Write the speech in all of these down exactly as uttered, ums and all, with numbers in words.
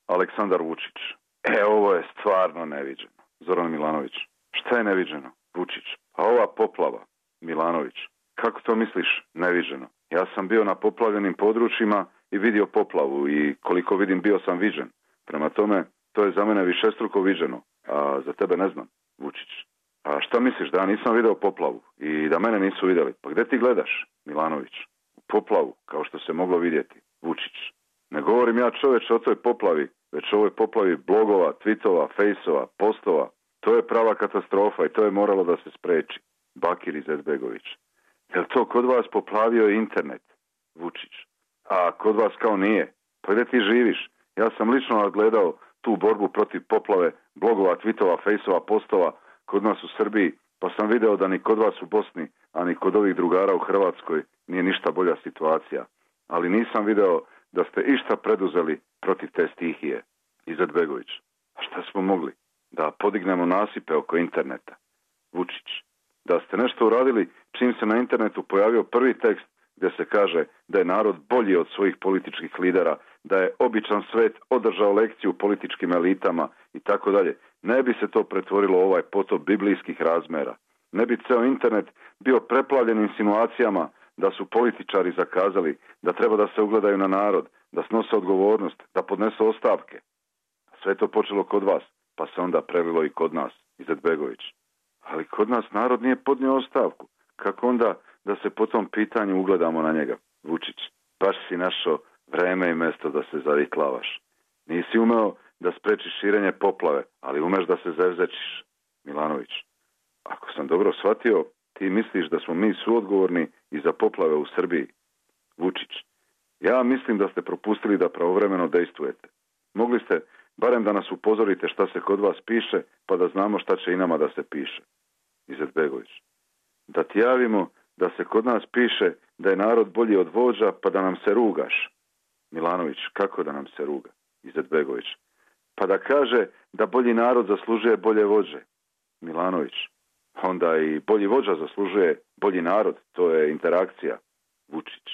Aleksandar Vučić. E, ovo je stvarno neviđeno. Zoran Milanović. Šta je neviđeno? Vučić. A ova poplava? Milanović. Kako to misliš neviđeno? Ja sam bio na poplavljenim područjima i vidio poplavu i koliko vidim bio sam viđen. Prema tome, to je za mene višestruko viđeno, a za tebe ne znam, Vučić. A šta misliš, da ja nisam video poplavu i da mene nisu vidjeli? Pa gdje ti gledaš, Milanović? U poplavu, kao što se moglo vidjeti, Vučić. Ne govorim ja, čoveče, o toj poplavi, već o ovoj poplavi blogova, tweetova, fejsova, postova. To je prava katastrofa i to je moralo da se spreči. Bakir Izetbegović. Jel to kod vas poplavio internet, Vučić? A kod vas kao nije? Pa gdje ti živiš? Ja sam lično nadgledao tu borbu protiv poplave blogova, tweetova, fejsova, postova kod nas u Srbiji, pa sam video da ni kod vas u Bosni, a ni kod ovih drugara u Hrvatskoj nije ništa bolja situacija. Ali nisam video da ste išta preduzeli protiv te stihije, Izetbegović. A šta smo mogli? Da podignemo nasipe oko interneta, Vučić. Da ste nešto uradili čim se na internetu pojavio prvi tekst gdje se kaže da je narod bolji od svojih političkih lidera, da je običan svet održao lekciju političkim elitama i tako dalje. Ne bi se to pretvorilo u ovaj potop biblijskih razmera. Ne bi ceo internet bio preplavljen insinuacijama da su političari zakazali, da treba da se ugledaju na narod, da snose odgovornost, da podnesu ostavke. Sve je to počelo kod vas, pa se onda prelilo i kod nas, Izetbegović. Ali kod nas narod nije podnio ostavku. Kako onda da se po tom pitanju ugledamo na njega, Vučić? Baš si našao vreme i mesto da se zariklavaš. Nisi umeo da sprečiš širenje poplave, ali umeš da se zevzečiš, Milanović. Ako sam dobro shvatio, ti misliš da smo mi suodgovorni i za poplave u Srbiji, Vučić. Ja mislim da ste propustili da pravovremeno dejstvujete. Mogli ste barem da nas upozorite šta se kod vas piše, pa da znamo šta će i nama da se piše, Izetbegović. Da ti javimo da se kod nas piše da je narod bolji od vođa, pa da nam se rugaš, Milanović. Kako da nam se ruga, Izetbegović? Pa da kaže da bolji narod zaslužuje bolje vođe, Milanović. Onda i bolji vođa zaslužuje bolji narod. To je interakcija, Vučić.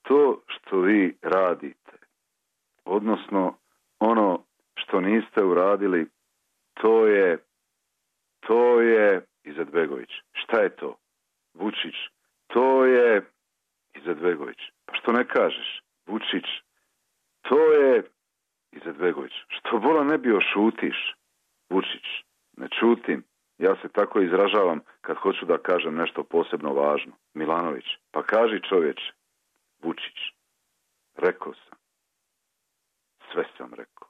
To što vi radite, odnosno ono što niste uradili, to je, to je, Izetbegović. Šta je to, Vučić? To je, Izetbegović. Pa što ne kažeš, Vučić? To je, Izetbegović. Što bola ne bio šutiš, Vučić? Ne čutim. Ja se tako izražavam kad hoću da kažem nešto posebno važno. Milanović. Pa kaži, čovječe. Vučić. Rekao sam. Sve sam rekao.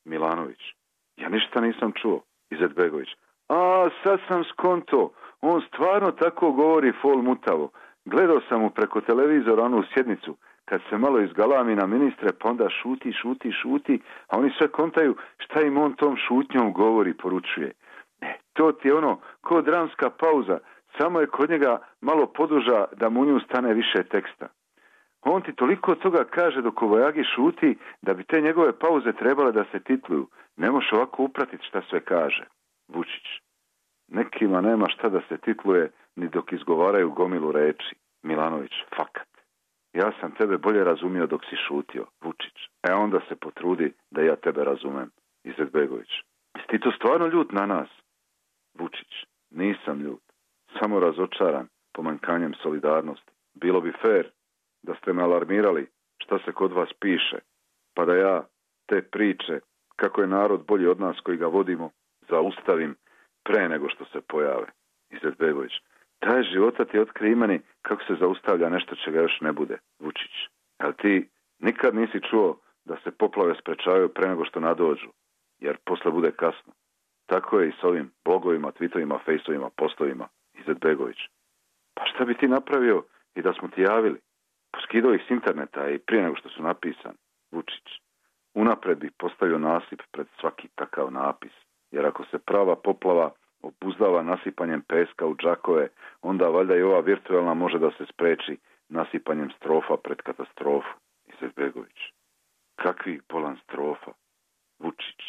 Milanović. Ja ništa nisam čuo. Izetbegović. A, sad sam skonto. On stvarno tako govori fol mutavo. Gledao sam mu preko televizora onu sjednicu kad se malo izgalami na ministre, pa onda šuti, šuti, šuti, a oni sve kontaju šta im on tom šutnjom govori, poručuje. E, to ti je ono, ko dramska pauza, samo je kod njega malo poduža da mu nju stane više teksta. On ti toliko toga kaže dok u vojagi šuti da bi te njegove pauze trebale da se titluju. Ne možeš ovako upratiti šta sve kaže, Vučić. Nekima nema šta da se titluje ni dok izgovaraju gomilu reči, Milanović. Fakat. Ja sam tebe bolje razumio dok si šutio, Vučić. E onda se potrudi da ja tebe razumem, Izetbegović. Jesi ti to stvarno ljut na nas, Vučić? Nisam ljut. Samo razočaran pomanjkanjem solidarnosti. Bilo bi fair da ste me alarmirali šta se kod vas piše, pa da ja te priče, kako je narod bolji od nas koji ga vodimo, zaustavim pre nego što se pojave, Izetbegović. Taj života ti otkri imeni kako se zaustavlja nešto čega još ne bude, Vučić. Ali ti nikad nisi čuo da se poplave sprečavaju pre nego što nadođu, jer posle bude kasno. Tako je i s ovim blogovima, tweetovima, fejsovima, postovima, Izetbegović. Pa šta bi ti napravio i da smo ti javili? Poskidao ih s interneta i prije nego što su napisani, Vučić. Unapred bih postavio nasip pred svaki takav napis, jer ako se prava poplava obuzdava nasipanjem peska u džakove, onda valjda i ova virtualna može da se spreči nasipanjem strofa pred katastrofu, Izetbegović. Kakvih bolan strofa, Vučić,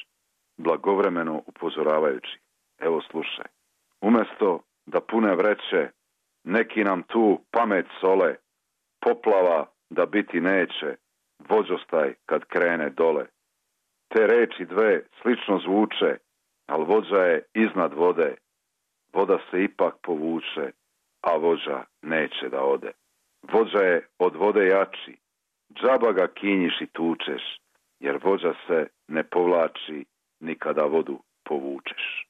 blagovremeno upozoravajući. Evo slušaj, umesto da pune vreće, neki nam tu pamet sole, poplava da biti neće, vođostaj kad krene dole. Te reči dve slično zvuče, ali vođa je iznad vode. Voda se ipak povuče, a vođa neće da ode. Vođa je od vode jači, džaba ga kinjiš i tučeš, jer vođa se ne povlači ni kada vodu povučeš.